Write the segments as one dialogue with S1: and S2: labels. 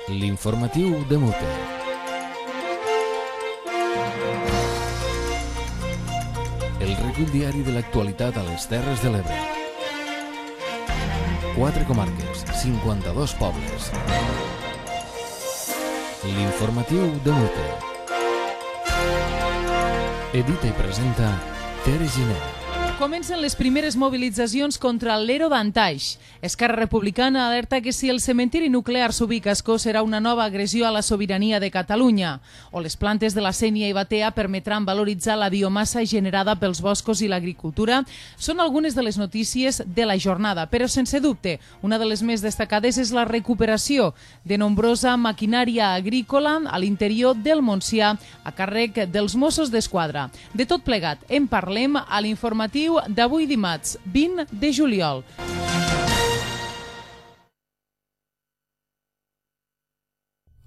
S1: L'informatiu de Mute. El recull diari de l'actualitat a les Terres de l'Ebre. 4 comarques, 52 pobles. L'informatiu de Mute. Edita i presenta Tere Giner.
S2: Comencen les primeres mobilitzacions contra l'Ero d'Antaix. Esquerra Republicana alerta que si el cementiri nuclear s'ubica a Ascó serà una nova agressió a la sobirania de Catalunya. O les plantes de la Sénia i Batea permetran valoritzar la biomassa generada pels boscos i l'agricultura. Són algunes de les notícies de la jornada, però sense dubte, una de les més destacades és la recuperació de nombrosa maquinària agrícola a l'interior del Montsià a càrrec dels Mossos d'Esquadra. De tot plegat, en parlem a l'informatiu d'avui dimarts, 20 de juliol.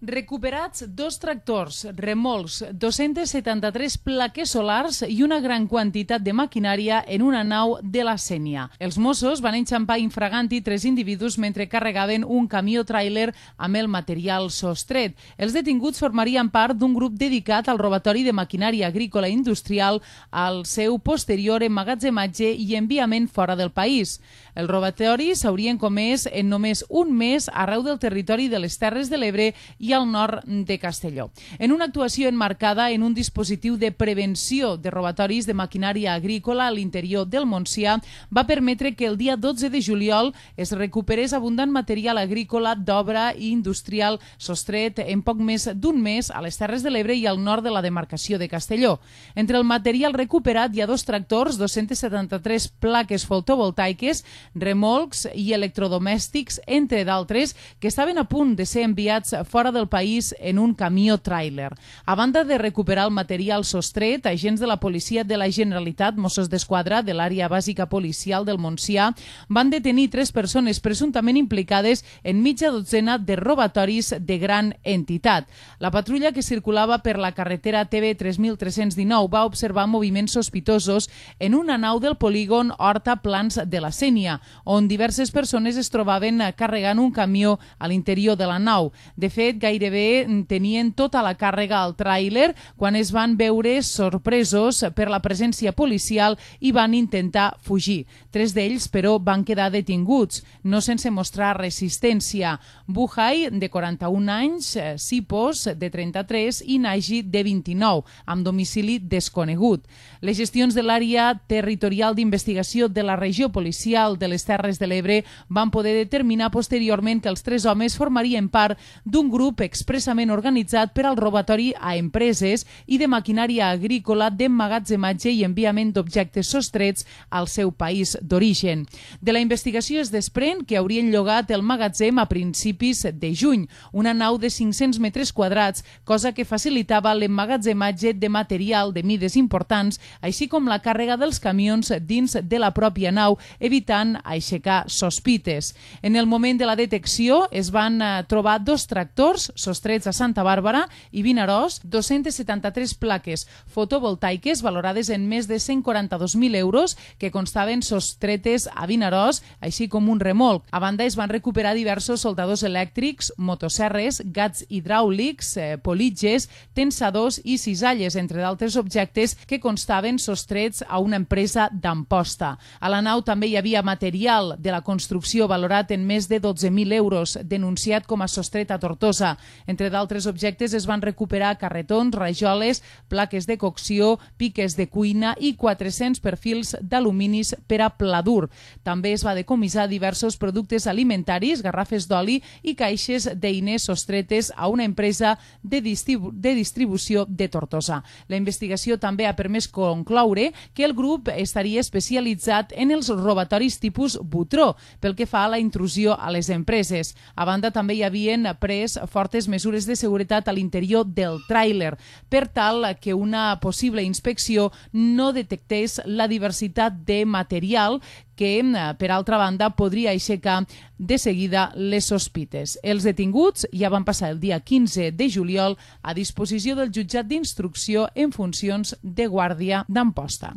S2: Recuperats 2 tractors, remolcs, 273 plaques solars i una gran quantitat de maquinària en una nau de la Sénia. Els Mossos van enxampar infraganti 3 individus mentre carregaven un camió tràiler amb el material sostret. Els detinguts formarien part d'un grup dedicat al robatori de maquinària agrícola i industrial al seu posterior emmagatzematge i enviament fora del país. Els robatoris s'haurien comès en només un mes arreu del territori de les Terres de l'Ebre i al nord de Castelló. En una actuació emmarcada en un dispositiu de prevenció de robatoris de maquinària agrícola a l'interior del Montsià, va permetre que el dia 12 de juliol es recuperés abundant material agrícola d'obra i industrial sostret en poc més d'un mes a les Terres de l'Ebre i al nord de la demarcació de Castelló. Entre el material recuperat hi ha 2 tractors, 273 plaques fotovoltaiques, remolcs i electrodomèstics, entre d'altres, que estaven a punt de ser enviats fora del país en un camió tràiler. A banda de recuperar el material sostret, agents de la policia de la Generalitat, Mossos d'Esquadra de l'àrea bàsica policial del Montsià, van detenir 3 persones presumptament implicades en mitja dotzena de robatoris de gran entitat. La patrulla que circulava per la carretera TB 3319 va observar moviments sospitosos en una nau del polígon Horta Plans de la Sénia, on diverses persones es trobaven carregant un camió a l'interior de la nau. De fet, gairebé tenien tota la càrrega al tràiler quan es van veure sorpresos per la presència policial i van intentar fugir. 3 d'ells, però, van quedar detinguts, no sense mostrar resistència. Buhai, de 41 anys, Sipos, de 33 i Nagi, de 29, amb domicili desconegut. Les gestions de l'àrea territorial d'investigació de la regió policial de les Terres de l'Ebre van poder determinar posteriorment que els 3 homes formarien part d'un grup expressament organitzat per al robatori a empreses i de maquinària agrícola d'emmagatzematge i enviament d'objectes sostrets al seu país d'origen. De la investigació es desprèn que haurien llogat el magatzem a principis de juny, una nau de 500 metres quadrats, cosa que facilitava l'emmagatzematge de material de mides importants, així com la càrrega dels camions dins de la pròpia nau, evitant aixecar sospites. En el moment de la detecció es van trobar 2 tractors sostrets a Santa Bàrbara i Vinaròs, 273 plaques fotovoltaiques valorades en més de 142.000 euros que constaven sostretes a Vinaròs, així com un remolc. A banda, es van recuperar diversos soldadors elèctrics, motosserres, gats hidràulics, politges, tensadors i cisalles, entre d'altres objectes que constaven sostrets a una empresa d'Amposta. A la nau també hi havia material de la construcció valorat en més de 12.000 euros, denunciat com a sostret a Tortosa. Entre d'altres objectes es van recuperar carretons, rajoles, plaques de cocció, piques de cuina i 400 perfils d'aluminis per a pla dur. També es va decomissar diversos productes alimentaris, garrafes d'oli i caixes d'eines sostretes a una empresa de distribució de Tortosa. La investigació també ha permès concloure que el grup estaria especialitzat en els robatoris tipus Butró, pel que fa a la intrusió a les empreses. A banda, també hi havien pres fortes mesures de seguretat a l'interior del tràiler, per tal que una possible inspecció no detectés la diversitat de material que, per altra banda, podria aixecar de seguida les sospites. Els detinguts ja van passar el dia 15 de juliol a disposició del jutjat d'instrucció en funcions de guàrdia d'Amposta.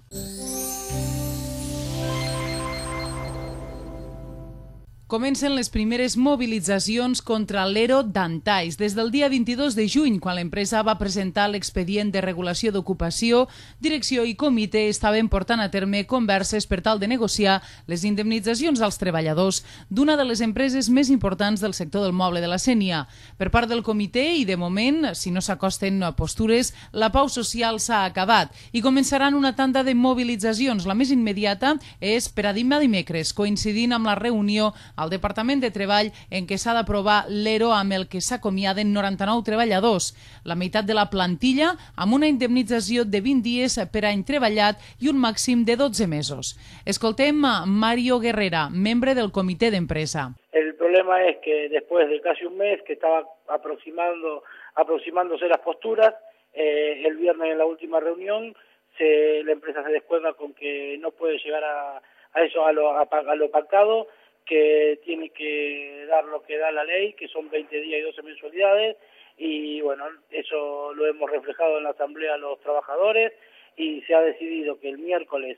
S2: Comencen les primeres mobilitzacions contra l'ERO d'Antaix. Des del dia 22 de juny, quan l'empresa va presentar l'expedient de regulació d'ocupació, direcció i comitè estaven portant a terme converses per tal de negociar les indemnitzacions als treballadors d'una de les empreses més importants del sector del moble de la Sénia. Per part del comitè i, de moment, si no s'acosten postures, la pau social s'ha acabat i començaran una tanda de mobilitzacions. La més immediata és per a demà dimecres, coincidint amb la reunió al Departament de Treball en què s'ha d'aprovar l'ERO amb el que s'acomiaden 99 treballadors, la meitat de la plantilla amb una indemnització de 20 dies per any treballat i un màxim de 12 mesos. Escoltem a Mario Guerrera, membre del comitè d'empresa.
S3: El problema es que después de casi un mes que estaba aproximándose las posturas, el viernes en la última reunión la empresa se descuelga con que no puede llegar a lo pactado, que tiene que dar lo que da la ley, que son 20 días y 12 mensualidades, y bueno, eso lo hemos reflejado en la asamblea a los trabajadores, y se ha decidido que el miércoles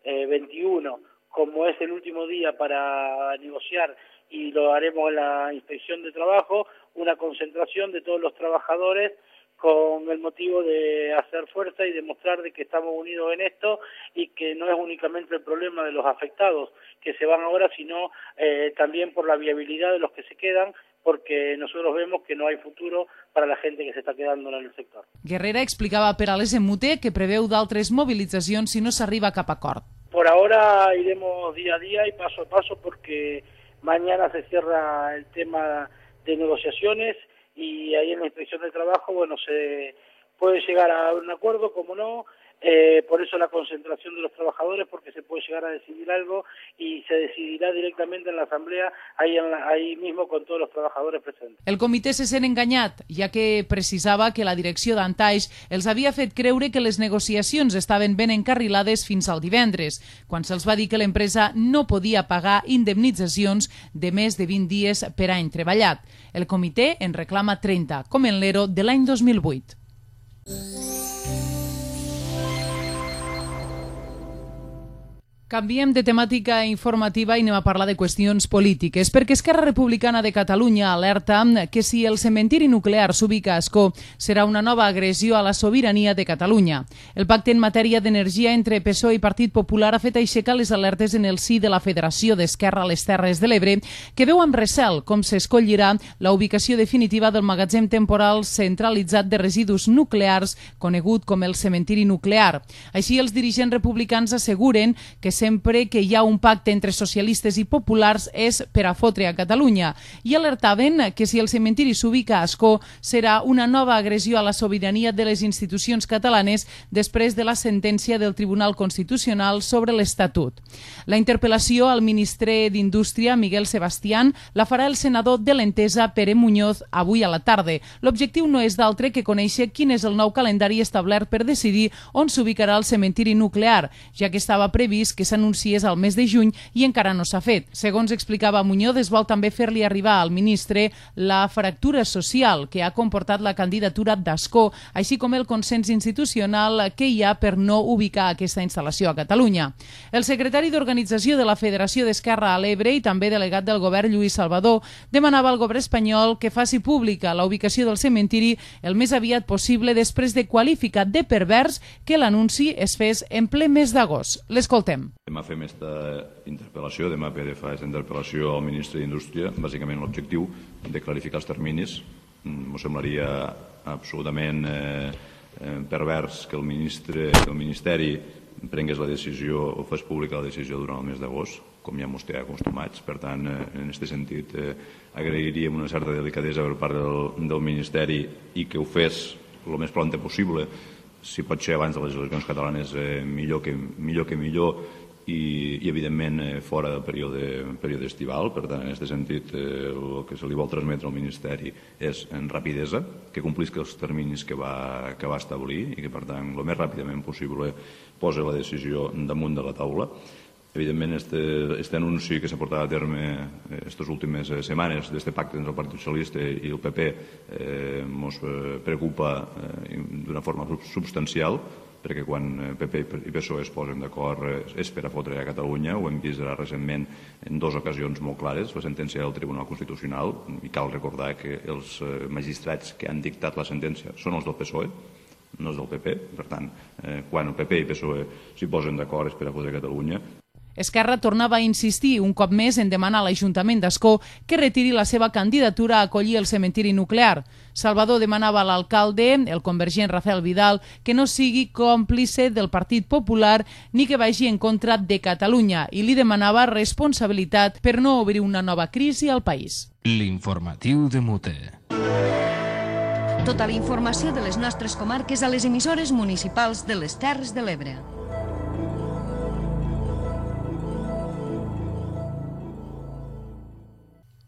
S3: 21, como es el último día para negociar, y lo haremos en la inspección de trabajo, una concentración de todos los trabajadores con el motivo de hacer fuerza y demostrar de que estamos unidos en esto y que no es únicamente el problema de los afectados que se van ahora, sino también por la viabilidad de los que se quedan, porque nosotros vemos que no hay futuro para la gente que se está quedando en el sector.
S2: Guerrera explicava per a l'SMUT que preveu d'altres mobilitzacions si no s'arriba a cap acord.
S3: Por ahora iremos día a día y paso a paso porque mañana se cierra el tema de negociaciones y ahí en la inspección de trabajo, bueno, se puede llegar a un acuerdo, como no, por eso la concentración de los trabajadores, porque se puede llegar a decidir algo y se decidirá directamente en la asamblea, ahí mismo con todos los trabajadores presentes.
S2: El comitè se sent enganyat, ja que precisava que la direcció d'Antaix els havia fet creure que les negociacions estaven ben encarrilades fins al divendres, quan se'ls va dir que l'empresa no podia pagar indemnitzacions de més de 20 dies per any treballat. El comitè en reclama 30, com en l'ERO de l'any 2008. Canviem de temàtica informativa i anem a parlar de qüestions polítiques, perquè Esquerra Republicana de Catalunya alerta que si el cementiri nuclear s'ubica a Ascó serà una nova agressió a la sobirania de Catalunya. El pacte en matèria d'energia entre PSOE i Partit Popular ha fet aixecar les alertes en el si de la Federació d'Esquerra a les Terres de l'Ebre, que veu amb recel com s'escollirà la ubicació definitiva del magatzem temporal centralitzat de residus nuclears, conegut com el cementiri nuclear. Així, els dirigents republicans asseguren que sempre que hi ha un pacte entre socialistes i populars és per a fotre a Catalunya i alertaven que si el cementiri s'ubica a Ascó serà una nova agressió a la sobirania de les institucions catalanes després de la sentència del Tribunal Constitucional sobre l'Estatut. La interpel·lació al ministre d'Indústria, Miguel Sebastián, la farà el senador de l'Entesa, Pere Muñoz, avui a la tarda. L'objectiu no és d'altre que conèixer quin és el nou calendari establert per decidir on s'ubicarà el cementiri nuclear, ja que estava previst que s'anunciés al mes de juny i encara no s'ha fet. Segons explicava Muñoz, es vol també fer-li arribar al ministre la fractura social que ha comportat la candidatura d'Ascó, així com el consens institucional que hi ha per no ubicar aquesta instal·lació a Catalunya. El secretari d'Organització de la Federació d'Esquerra a l'Ebre i també delegat del govern, Lluís Salvador, demanava al govern espanyol que faci pública la ubicació del cementiri el més aviat possible després de qualificar de pervers que l'anunci es fes en ple mes d'agost. L'escoltem.
S4: Demà fem aquesta interpel·lació, demà PD fa aquesta interpel·lació al ministre d'Indústria, bàsicament l'objectiu de clarificar els terminis. M'ho semblaria absolutament pervers que el Ministeri prengués la decisió o fes pública la decisió durant el mes d'agost, com ja ens té acostumats. Per tant, en aquest sentit, agrairíem una certa delicadesa per part del Ministeri i que ho fes el més prompte possible. Si pot ser abans de les eleccions catalanes, millor que millor, i evidentment fora del període estival. Per tant, en aquest sentit, el que se li vol transmetre al Ministeri és en rapidesa, que complisca els terminis que va establir i que, per tant, el més ràpidament possible posa la decisió damunt de la taula. Evidentment, aquest anunci que s'ha portat a terme aquestes últimes setmanes d'aquest pacte entre el Partit Socialista i el PP ens preocupa d'una forma substancial. perquè quan PP i PSOE es posen d'acord és per a fotre a Catalunya. Ho hem vist recentment en dues ocasions molt clares, la sentència del Tribunal Constitucional, i cal recordar que els magistrats que han dictat la sentència són els del PSOE, no és del PP. Per tant, quan el PP i PSOE s'hi posen d'acord és per a fotre a Catalunya.
S2: Esquerra tornava a insistir un cop més en demanar a l'Ajuntament d'Ascó que retiri la seva candidatura a acollir el cementiri nuclear. Salvador demanava a l'alcalde, el convergent Rafael Vidal, que no sigui còmplice del Partit Popular ni que vagi en contra de Catalunya i li demanava responsabilitat per no obrir una nova crisi al país.
S1: L'informatiu de Mute.
S5: Tota la informació de les nostres comarques a les emissores municipals de les Terres de l'Ebre.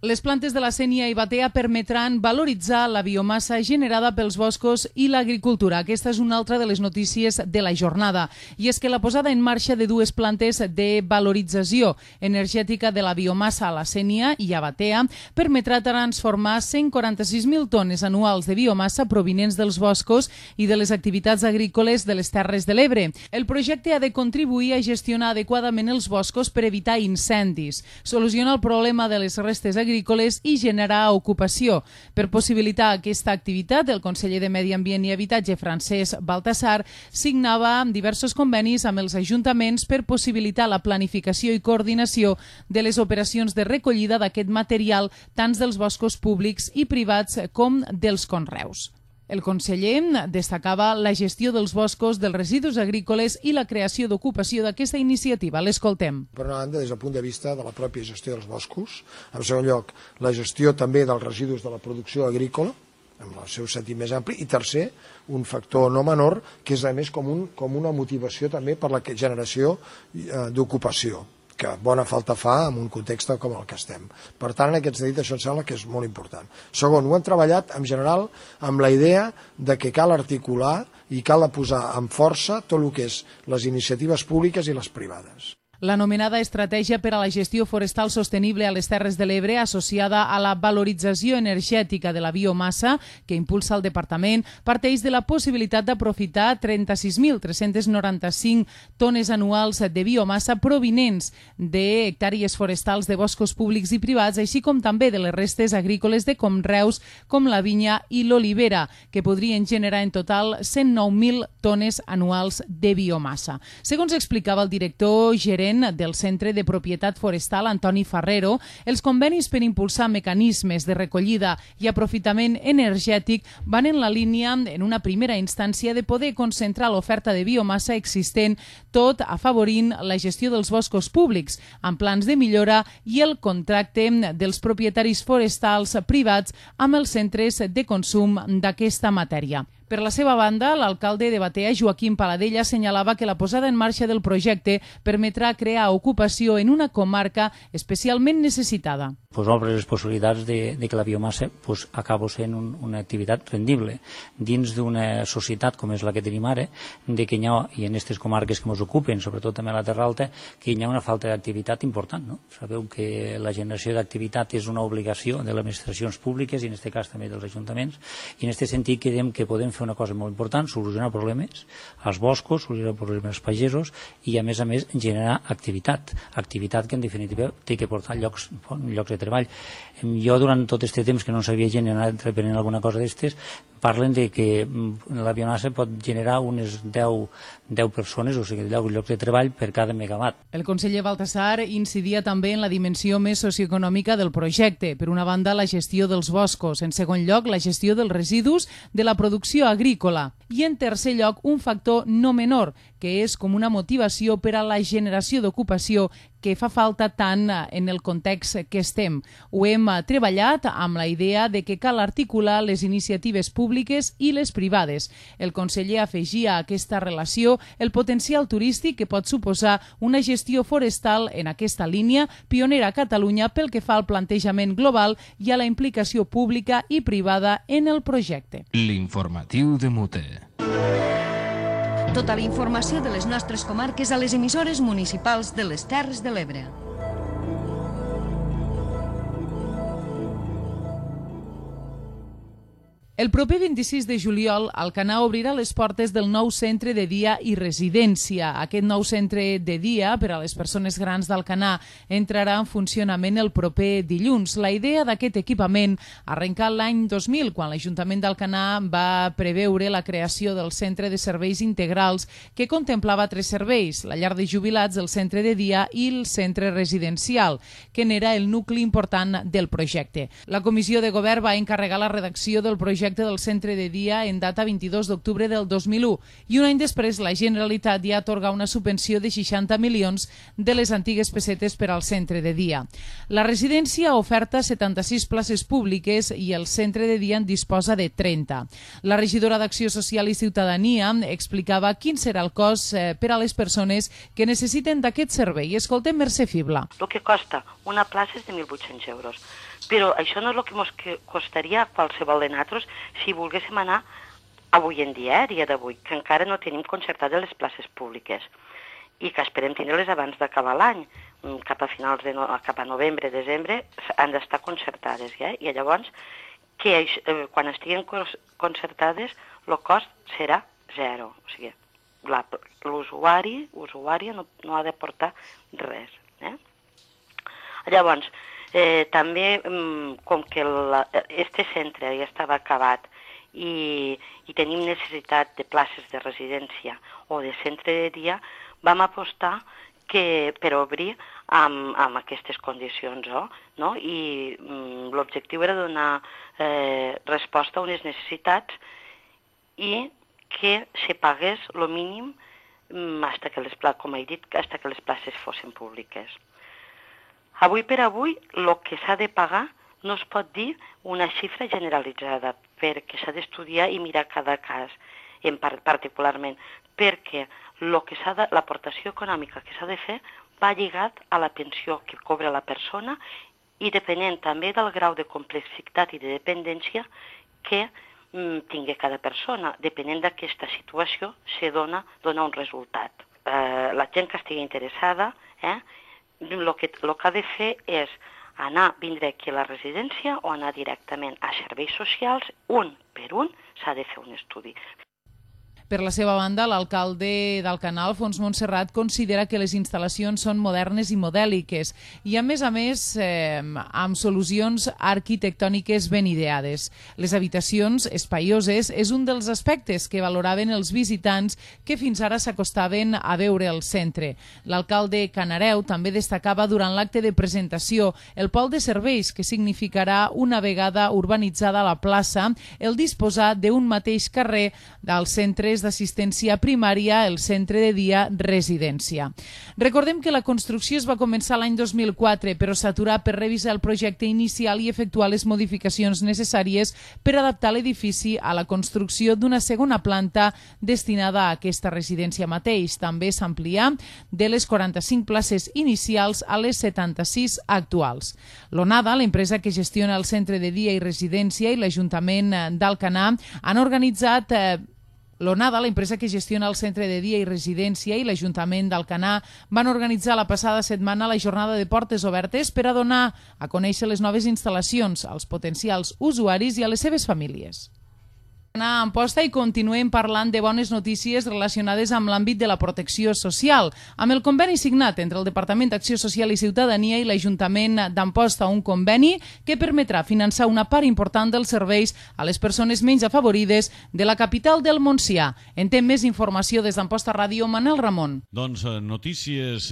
S2: Les plantes de la Sénia i Batea permetran valoritzar la biomassa generada pels boscos i l'agricultura. Aquesta és una altra de les notícies de la jornada. I és que la posada en marxa de dues plantes de valorització energètica de la biomassa a la Sénia i a Batea permetrà transformar 146.000 tones anuals de biomassa provinents dels boscos i de les activitats agrícoles de les Terres de l'Ebre. El projecte ha de contribuir a gestionar adequadament els boscos per evitar incendis, solucionar el problema de les restes agrícoles i generar ocupació. Per possibilitar aquesta activitat, el conseller de Medi Ambient i Habitatge, Francesc Baltasar, signava diversos convenis amb els ajuntaments per possibilitar la planificació i coordinació de les operacions de recollida d'aquest material, tant dels boscos públics i privats com dels conreus. El conseller destacava la gestió dels boscos, dels residus agrícoles i la creació d'ocupació d'aquesta iniciativa. L'escoltem.
S6: Per una banda, des del punt de vista de la pròpia gestió dels boscos. En segon lloc, la gestió també dels residus de la producció agrícola, en el seu sentit més ampli. I tercer, un factor no menor, que és a més com una motivació també per la generació d'ocupació, que bona falta fa en un context com el que estem. Per tant, en aquest sentit, això em sembla que és molt important. Segon, ho hem treballat en general amb la idea de que cal articular i cal posar amb força tot el que és les iniciatives públiques i les privades.
S2: L'anomenada Estratègia per a la Gestió Forestal Sostenible a les Terres de l'Ebre, associada a la valorització energètica de la biomassa que impulsa el Departament, parteix de la possibilitat d'aprofitar 36.395 tones anuals de biomassa provinents d'hectàrees forestals de boscos públics i privats, així com també de les restes agrícoles de conreus com la vinya i l'olivera, que podrien generar en total 109.000 tones anuals de biomassa. Segons explicava el director gerent del Centre de Propietat Forestal, Antoni Ferrero, els convenis per impulsar mecanismes de recollida i aprofitament energètic van en la línia, en una primera instància, de poder concentrar l'oferta de biomassa existent, tot afavorint la gestió dels boscos públics, amb plans de millora i el contracte dels propietaris forestals privats amb els centres de consum d'aquesta matèria. Per la seva banda, l'alcalde de Batea, Joaquim Paladella, assenyalava que la posada en marxa del projecte permetrà crear ocupació en una comarca especialment necessitada.
S7: Obre les possibilitats de que la biomassa acabi sent una activitat rendible dins d'una societat com és la que tenim ara, de que hi ha, i en aquestes comarques que ens ocupen, sobretot també a la Terra Alta, que hi ha una falta d'activitat important. No? Sabeu que la generació d'activitat és una obligació de les administracions públiques i en aquest cas també dels ajuntaments, i en aquest sentit creiem que podem fer una cosa molt important, solucionar problemes als boscos, solucionar problemes als pagesos i a més generar activitat que en definitiva té que portar llocs de treball. Jo durant tot aquest temps que no sabia generar reprenent alguna cosa d'estes, parlen de que la biomassa pot generar unes 10 persones, o sigui 10 llocs de treball per cada megawatt.
S2: El conseller Baltasar incidia també en la dimensió més socioeconòmica del projecte. Per una banda, la gestió dels boscos. En segon lloc, la gestió dels residus de la producció agrícola. I en tercer lloc, un factor no menor, que és com una motivació per a la generació d'ocupació que fa falta tant en el context que estem. Ho hem treballat amb la idea de que cal articular les iniciatives públiques i les privades. El conseller afegia a aquesta relació el potencial turístic que pot suposar una gestió forestal en aquesta línia, pionera a Catalunya pel que fa al plantejament global i a la implicació pública i privada en el projecte.
S1: L'informatiu de Mute.
S5: Tota la informació de les nostres comarques a les emissores municipals de les Terres de l'Ebre.
S2: El proper 26 de juliol, Alcanar obrirà les portes del nou centre de dia i residència. Aquest nou centre de dia per a les persones grans d'Alcanar entrarà en funcionament el proper dilluns. La idea d'aquest equipament arrencà l'any 2000, quan l'Ajuntament d'Alcanar va preveure la creació del Centre de Serveis Integrals, que contemplava 3 serveis: la llar de jubilats, el centre de dia i el centre residencial, que n'era el nucli important del projecte. La Comissió de Govern va encarregar la redacció del projecte del centre de dia en data 22 d'octubre del 2001 i un any després la Generalitat ja atorga una subvenció de 60 milions de les antigues pessetes per al centre de dia. La residència oferta 76 places públiques i el centre de dia en disposa de 30. La regidora d'Acció Social i Ciutadania explicava quin serà el cost per a les persones que necessiten d'aquest servei. Escoltem Mercè Fibla.
S8: El que costa una plaça és de 1.800 euros. Però això no és el que ens costaria a qualsevol de nosaltres si volguéssim anar avui en dia, dia d'avui, que encara no tenim concertades les places públiques i que esperem tindre-les abans d'acabar l'any. Cap a finals cap a novembre, desembre, han d'estar concertades. I llavors, quan estiguen concertades, el cost serà zero. O sigui, l'usuària no ha de portar res. Llavors, també, com que este centre ja estava acabat i tenim necessitat de places de residència o de centre de dia, vam apostar per obrir amb aquestes condicions. I l'objectiu era donar resposta a unes necessitats i que se pagués el mínim com he dit, fins que les places fossin públiques. Avui per avui, el que s'ha de pagar no es pot dir una xifra generalitzada, perquè s'ha d'estudiar i mirar cada cas particularment, perquè l'aportació econòmica que s'ha de fer va lligat a la pensió que cobra la persona i depenent també del grau de complexitat i de dependència que tingui cada persona. Depenent d'aquesta situació, se dona un resultat. La gent que estigui interessada, el que ha de fer és vindre aquí a la residència o anar directament a serveis socials, un per un s'ha de fer un estudi.
S2: Per la seva banda, l'alcalde d'Alcanar, Alfons Montserrat, considera que les instal·lacions són modernes i modèliques i, a més, amb solucions arquitectòniques ben ideades. Les habitacions espaioses és un dels aspectes que valoraven els visitants que fins ara s'acostaven a veure el centre. L'alcalde Canareu també destacava durant l'acte de presentació el pol de serveis, que significarà, una vegada urbanitzada la plaça, el disposar d'un mateix carrer dels centres d'assistència primària, el centre de dia residència. Recordem que la construcció es va començar l'any 2004, però s'aturà per revisar el projecte inicial i efectuar les modificacions necessàries per adaptar l'edifici a la construcció d'una segona planta destinada a aquesta residència mateix. També s'amplià de les 45 places inicials a les 76 actuals. L'Onada, l'empresa que gestiona el centre de dia i residència, i l'Ajuntament d'Alcanar han organitzat L'Onada, l'empresa que gestiona el centre de dia i residència, i l'Ajuntament d'Alcanar van organitzar la passada setmana la jornada de portes obertes per a donar a conèixer les noves instal·lacions als potencials usuaris i a les seves famílies. A Amposta i continuem parlant de bones notícies relacionades amb l'àmbit de la protecció social. Amb el conveni signat entre el Departament d'Acció Social i Ciutadania i l'Ajuntament d'Amposta, un conveni que permetrà finançar una part important dels serveis a les persones menys afavorides de la capital del Montsià. En té més informació des d'Amposta Ràdio, Manel Ramon.
S9: Doncs notícies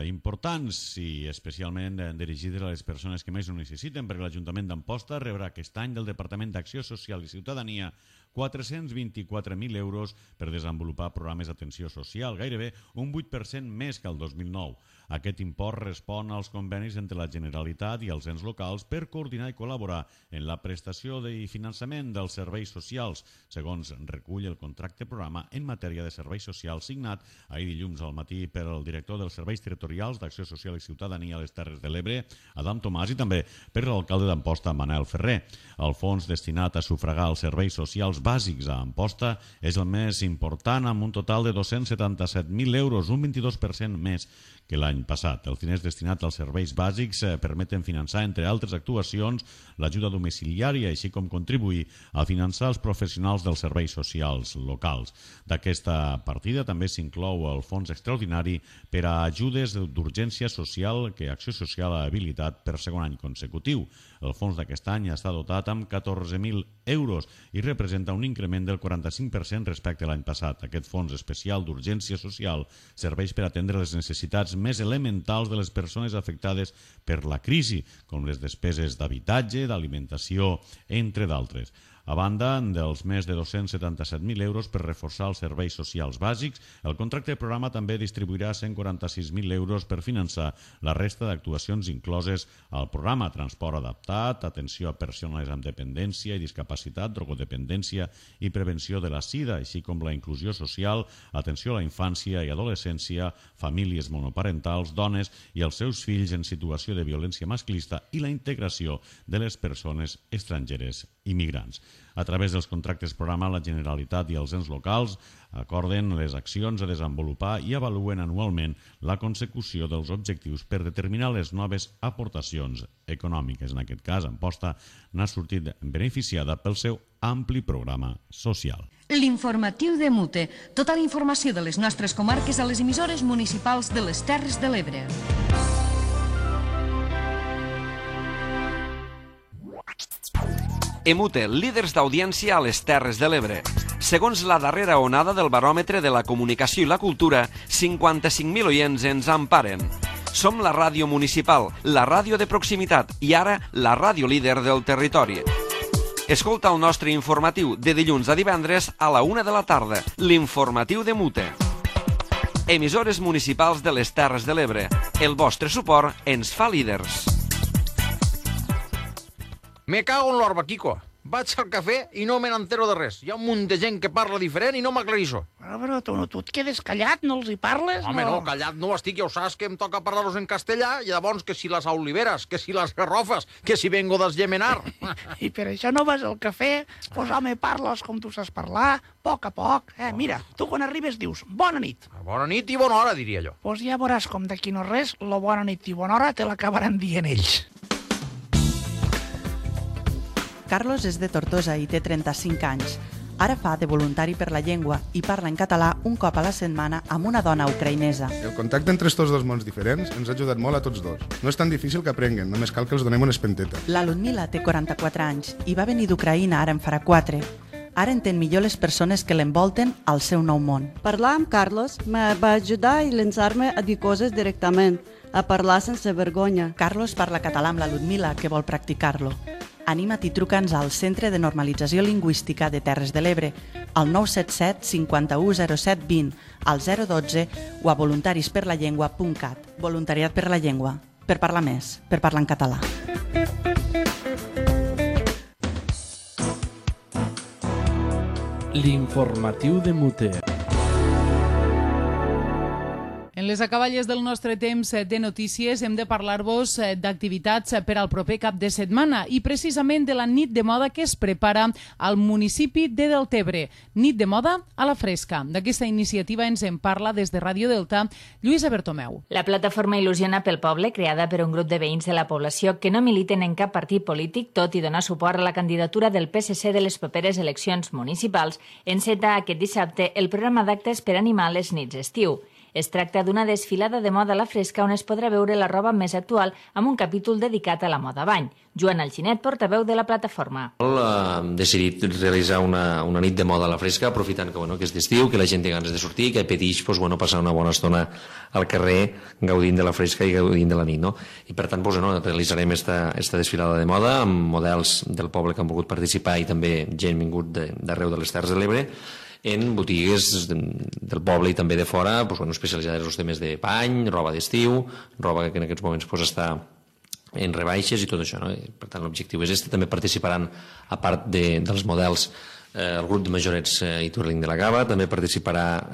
S9: importants i especialment dirigides a les persones que més ho necessiten, perquè l'Ajuntament d'Amposta rebrà aquest any del Departament d'Acció Social i Ciutadania 424.000 euros per desenvolupar programes d'atenció social, gairebé un 8% més que el 2009. Aquest import respon als convenis entre la Generalitat i els ens locals per coordinar i col·laborar en la prestació i finançament dels serveis socials, segons recull el contracte programa en matèria de serveis socials signat ahir dilluns al matí per el director dels Serveis Territorials d'Acció Social i Ciutadania a les Terres de l'Ebre, Adam Tomàs, i també per l'alcalde d'Amposta, Manel Ferrer. El fons destinat a sufragar els serveis socials socials bàsics a Amposta és el més important, amb un total de 277.000 euros, un 22% més que l'any passat. Els diners destinats als serveis bàsics permeten finançar, entre altres actuacions, l'ajuda domiciliària, així com contribuir a finançar els professionals dels serveis socials locals. D'aquesta partida també s'inclou el fons extraordinari per a ajudes d'urgència social que Acció Social ha habilitat per segon any consecutiu. El fons d'aquest any està dotat amb 14.000 euros i representa un increment del 45% respecte a l'any passat. Aquest fons especial d'urgència social serveix per atendre les necessitats més elementals de les persones afectades per la crisi, com les despeses d'habitatge, d'alimentació, entre d'altres. A banda dels més de 277.000 euros per reforçar els serveis socials bàsics, el contracte de programa també distribuirà 146.000 euros per finançar la resta d'actuacions incloses al programa: transport adaptat, atenció a persones amb dependència i discapacitat, drogodependència i prevenció de la sida, així com la inclusió social, atenció a la infància i adolescència, famílies monoparentals, dones i els seus fills en situació de violència masclista i la integració de les persones estrangeres i migrants. A través dels contractes programa, la Generalitat i els ens locals acorden les accions a desenvolupar i avaluen anualment la consecució dels objectius per determinar les noves aportacions econòmiques. En aquest cas, Amposta n'ha sortit beneficiada pel seu ampli programa social.
S5: L'informatiu de Mute. Tota la informació de les nostres comarques a les emissores municipals de les Terres de l'Ebre.
S10: Emute, líders d'audiència a les Terres de l'Ebre. Segons la darrera onada del baròmetre de la comunicació i la cultura, 55.000 oients ens emparen. Som la ràdio municipal, la ràdio de proximitat i ara la ràdio líder del territori. Escolta el nostre informatiu de dilluns a divendres a la 1 de la tarda, l'informatiu de Mute. Emissores municipals de les Terres de l'Ebre. El vostre suport ens fa líders.
S11: Me cago en l'orba, Quico. Vaig al cafè i no me n'entero de res. Hi ha un munt de gent que parla diferent i no m'aclarissó.
S12: Però tu et quedes callat, no els hi parles?
S11: Home, no, callat no estic, ja ho saps que em toca parlar-los en castellà, i llavors que si les oliveres, que si les garrofes, que si vengo d'Esgemenar.
S12: I per això no vas al cafè? Pues home, parles com tu saps parlar, a poc. Mira, tu quan arribes dius bona nit.
S11: Bona nit i bona hora, diria jo.
S12: Pues ja veuràs com d'aquí no res, la bona nit i bona hora te l'acabaran dient ells.
S13: Carlos és de Tortosa i té 35 anys. Ara fa de voluntari per la llengua i parla en català un cop a la setmana amb una dona ucraïnesa.
S14: El contacte entre estos dos mons diferents ens ha ajudat molt a tots dos. No és tan difícil que aprenguen, només cal que els donem una espenteta.
S13: La Ludmila té 44 anys i va venir d'Ucraïna ara en farà 4. Ara entén millor les persones que l'envolten al seu nou món.
S15: Parlar amb Carlos me va ajudar i llançar-me a dir coses directament, a parlar sense vergonya.
S13: Carlos parla català amb la Ludmila, que vol practicar-lo. Anima't i truca'ns al Centre de Normalització Lingüística de Terres de l'Ebre, al 977 51 07 20, al 012 o a voluntarisperlallengua.cat. Voluntariat per la llengua. Per parlar més, per parlar en català.
S1: L'informatiu de Mute.
S2: En les acaballes del nostre temps de notícies hem de parlar-vos d'activitats per al proper cap de setmana i precisament de la nit de moda que es prepara al municipi de Deltebre. Nit de moda a la fresca. D'aquesta iniciativa ens en parla des de Ràdio Delta Lluïsa Bertomeu.
S16: La plataforma Il·lusiona pel Poble, creada per un grup de veïns de la població que no militen en cap partit polític, tot i donar suport a la candidatura del PSC de les properes eleccions municipals, enceta aquest dissabte el programa d'actes per animar les nits d'estiu. Es tracta d'una desfilada de moda a la fresca on es podrà veure la roba més actual amb un capítol dedicat a la moda bany. Joan Alginet, portaveu de la plataforma.
S17: Hem decidit realitzar una nit de moda a la fresca, aprofitant que és d'estiu, que la gent té ganes de sortir, que pedix passar una bona estona al carrer gaudint de la fresca i gaudint de la nit. I per tant realitzarem esta desfilada de moda amb models del poble que han volgut participar i també gent vingut d'arreu de les Terres de l'Ebre, en botigues del poble i també de fora, especialitzades en els temes de pany, roba d'estiu, roba que en aquests moments està en rebaixes i tot això. Per tant, l'objectiu és este. També participaran, a part dels models, el grup de majorets i Twirling de la Cava, també participarà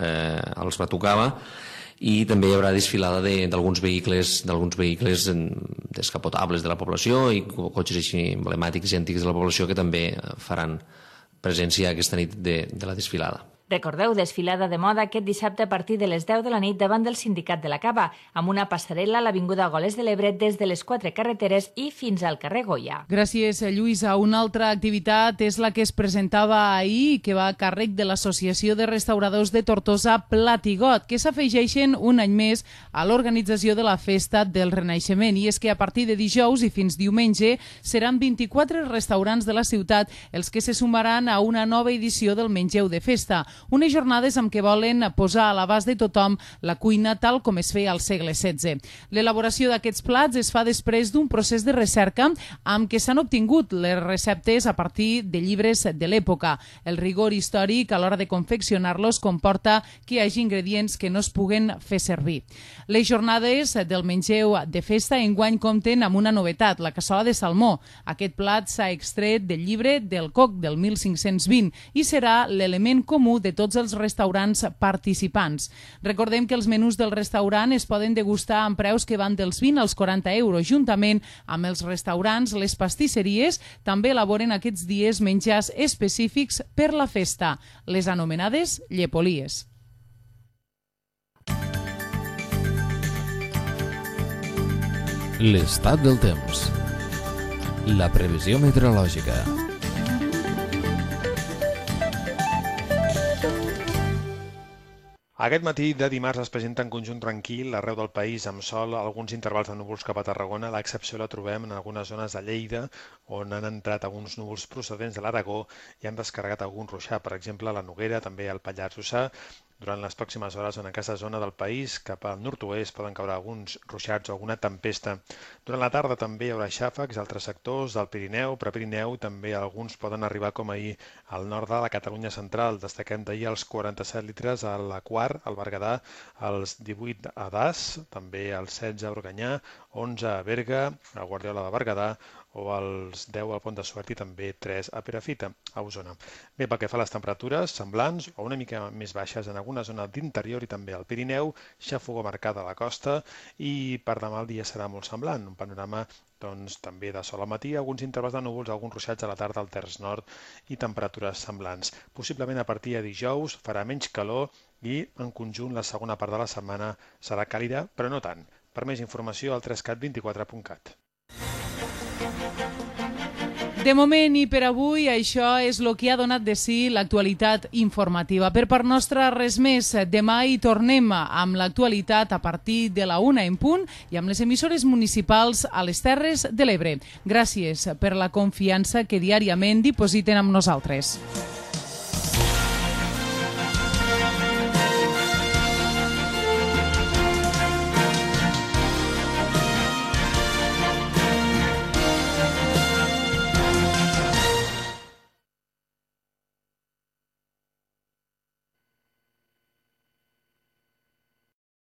S17: els Batucava, i també hi haurà desfilada d'alguns vehicles descapotables de la població i cotxes així emblemàtics i antics de la població que també faran presència aquesta nit de la desfilada.
S16: Recordeu, desfilada de moda aquest dissabte a partir de les 10 de la nit davant del Sindicat de la Cava, amb una passarel·la a l'Avinguda Goles de l'Ebre des de les 4 carreteres i fins al carrer Goya.
S2: Gràcies, Lluïsa. Una altra activitat és la que es presentava ahir, que va a càrrec de l'Associació de Restauradors de Tortosa Platigot, que s'afegeixen un any més a l'organització de la Festa del Renaixement. I és que a partir de dijous i fins diumenge seran 24 restaurants de la ciutat els que se sumaran a una nova edició del Mengeu de Festa. Unes jornades amb què volen posar a l'abast de tothom la cuina tal com es feia al segle XVI. L'elaboració d'aquests plats es fa després d'un procés de recerca amb què s'han obtingut les receptes a partir de llibres de l'època. El rigor històric a l'hora de confeccionar-los comporta que hi hagi ingredients que no es puguen fer servir. Les jornades del Mengeu de Festa enguany compten amb una novetat, la cassola de salmó. Aquest plat s'ha extret del llibre del Coc del 1520 i serà l'element comú de tots els restaurants participants. Recordem que els menús del restaurant es poden degustar amb preus que van dels 20 als 40 euros. Juntament amb els restaurants, les pastisseries també elaboren aquests dies menjars específics per la festa, les anomenades llepolies.
S1: L'estat del temps. La previsió meteorològica.
S18: Aquest matí de dimarts es presenta en conjunt tranquil arreu del país amb sol, alguns intervals de núvols cap a Tarragona. L'excepció la trobem en algunes zones de Lleida, on han entrat alguns núvols procedents de l'Aragó i han descarregat algun ruixat, per exemple a la Noguera, també al Pallars Jussà. Durant les pròximes hores en aquesta zona del país, cap al nord-oest, poden caure alguns ruixats o alguna tempesta. Durant la tarda també hi haurà xàfecs a altres sectors del Pirineu, Prepirineu, també alguns poden arribar com ahir al nord de la Catalunya central. Destaquem d'ahir els 47 litres a la Quart, al Berguedà, els 18 a Das, també els 16 a Organyà, 11 a Berga, a Guardiola de Berguedà, o als 10 al Pont de Suert i també 3 a Perafita, a Osona. Bé, pel que fa a les temperatures, semblants o una mica més baixes en alguna zona d'interior i també al Pirineu, xafogor marcada a la costa i per demà el dia serà molt semblant, un panorama també de sol al matí, alguns intervals de núvols, alguns ruixats a la tarda al terç nord i temperatures semblants. Possiblement a partir de dijous farà menys calor i en conjunt la segona part de la setmana serà càlida, però no tant. Per més informació al 3cat24.cat.
S2: De moment i per avui això és el que ha donat de si l'actualitat informativa. Per part nostra res més. Demà hi tornem amb l'actualitat a partir de la 1 en punt i amb les emissores municipals a les Terres de l'Ebre. Gràcies per la confiança que diàriament dipositen amb nosaltres.